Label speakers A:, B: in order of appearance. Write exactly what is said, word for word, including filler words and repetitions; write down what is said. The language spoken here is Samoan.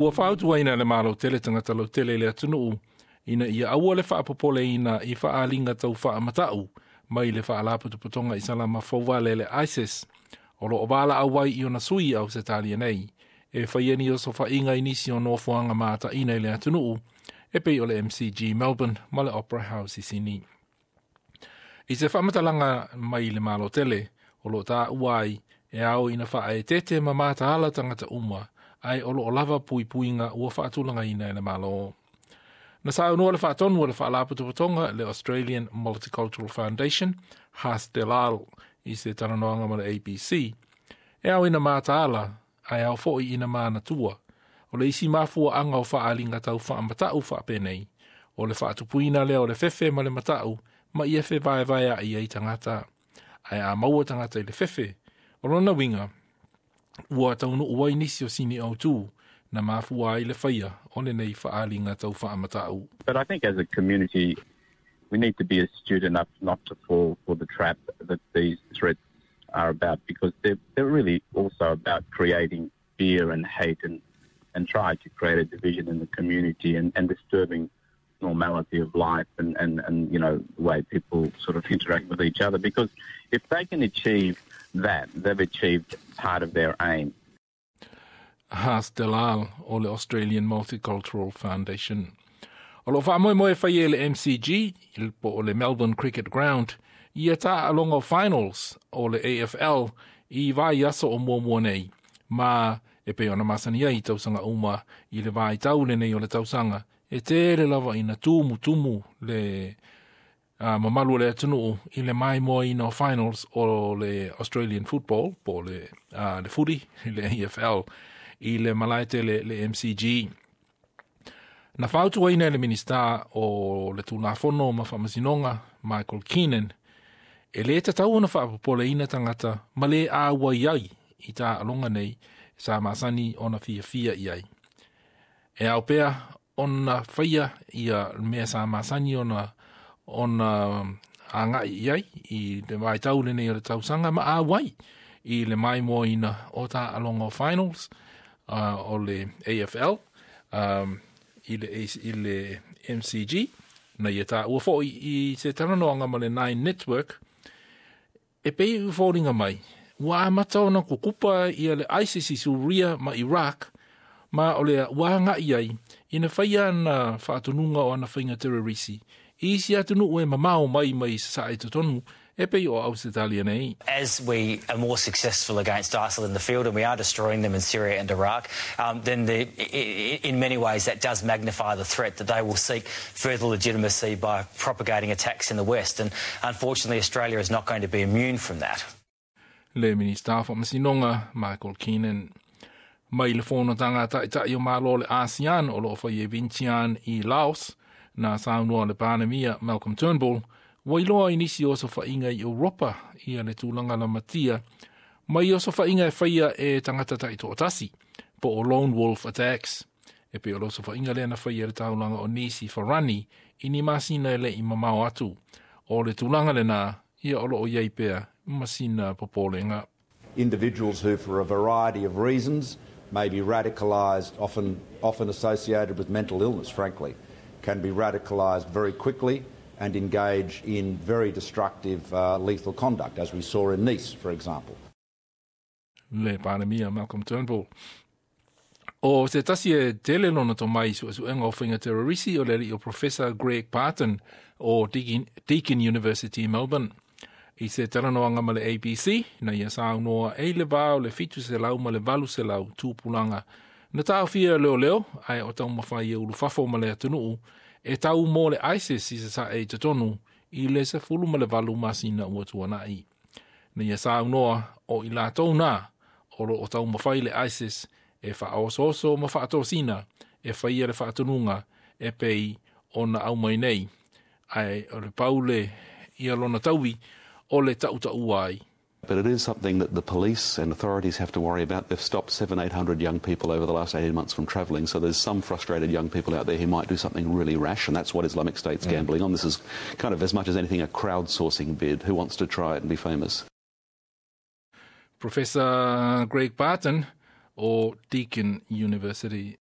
A: Ua fautuaina e le Malo tele tagata lautele i le atunuu ina ia aua le faapopoleina i faaaliga tau faamatau mai le faalapotopotoga Isalama fouvale le ISIS o loo valaau ai i ona sui i Ausetalia nei e faia ni osofaiga i nisi o nofoaga mataina i le atunuu e pei o le M C G Melbourne ma le Opera House i Sini. I se faamatalaga mai le Malo tele o loo taua ai e ao ina faaeteete ma mataala tagata uma ae o loo lava puipuiga ua faatulagaina e le Malo. Na saunoa le faatonu o le faalapotopotoga le Australian Multicultural Foundation, Has Delal, i se talanoaga ma le A B C. E ao ina mataala ae ao foi ina manatua. O le isi mafuaaga o faaaliga tau faamatau faapenei, o le faatupuina lea o le fefe ma le matau ma ia fevaevaea'i ai tagata. Ae a maua tagata i le fefe, o lona uiga, ua taunuu ai nisi o sini autū na mafua ai le faia o lenei faaaliga tau faamatau.
B: But I think as a community, we need to be astute enough not to fall for the trap that these threats are about, because they're, they're really also about creating fear and hate and, and try to create a division in the community and, and disturbing normality of life and, and, and, you know, the way people sort of interact with each other. Because if they can achieve that, they've achieved part of their aim.
A: Has Delal o le Australian Multicultural Foundation. O lo faamoemoe e faia i le M C G, po o le Melbourne Cricket Ground, ia taaloga finals o le A F L i vaiaso o muamua nei. Ma e pei ona masani ai tausaga uma i le vaitau lenei o le tausaga, e tele lava ina tumu tumu le uh, mamalu o le atunuu i le maimoaina o finals o le Australian Football, po o le, uh, le footy, le A F L, i le malae tele le M C G. Na fautuaina e le Minista o le Tulafono ma Faamasinoga, Michael Keenan, e le tatau ona faapopoleina tagata ma le auai ai i taaloga nei sa masani ona fiafia i ai. E ao pea ona faia ia mea sa masani ona ona agai i ai i le vaitau lenei o le tausaga ma auai i le maimoaina o taaloga o finals uh, o le A F L um, i le, i le M C G. Na ia taua foi i se talanoaga ma le Nine Network e pei i foliga mai ua amata ona kukupa ia le ISIS i Suria ma Iraq ma o le ua agai ai ina faia ana faatonuga o ana faiga terrorisi i isi atunuu e mamao mai mai sasae totonu e pei o Ausetalia nei.
C: As we are more successful against ISIL in the field, and we are destroying them in Syria and Iraq, um, then the, in many ways that does magnify the threat that they will seek further legitimacy by propagating attacks in the West. And unfortunately, Australia is not going to be immune from that.
A: Le Minista Faamasinoga Michael Keenan. Mai le fonotaga a taitai o Malo le ASEAN o loo faia i Vientiane i Laos, na saunoa le Palemia Malcolm Turnbull, ua iloa i nisi o osofaiga i Europa ia le tulaga lamatia mai osofaiga e faia e tagata taitoatasi po o lone wolf attacks e pei o le osofaiga lea na faia le taulaga o Nice i Farani i ni masina e le i mamao atu. O le tulaga lena ia o loo i ai pea ma sina popolega.
D: Individuals who, for a variety of reasons, may be radicalised, often, often associated with mental illness, frankly, can be radicalised very quickly and engage in very destructive, uh, lethal conduct, as we saw in Nice, for example.
A: Le Palemia Malcolm Turnbull. O se tasi e tele lona tomai suesuega o faiga terrorisi o le alii o Professor Greg Barton o Deakin, Deakin University, Melbourne. I se talanoaga ma le A B C, na ia saunoa e le va o le fitu selau ma le valu selau tupulaga. Na taofia leoleo, ae o taumafai e ulufafo ma le atunuu, e tau mo le ISIS i sasae i totonu i le sefulu ma le valu masina ua tuanai. Na ia saunoa o i latou na o loo taumafai le ISIS e faaosooso ma faatosina e faia le faatonuga e pei ona aumai nei. Ae o le paule ia lona taui o le tautaua ai.
E: But it is something that the police and authorities have to worry about. They've stopped seven, eight hundred young people over the last eighteen months from travelling. So there's some frustrated young people out there who might do something really rash, and that's what Islamic State's mm. gambling on. This is kind of, as much as anything, a crowdsourcing bid. Who wants to try it and be famous?
A: Professor Greg Barton o Deakin University.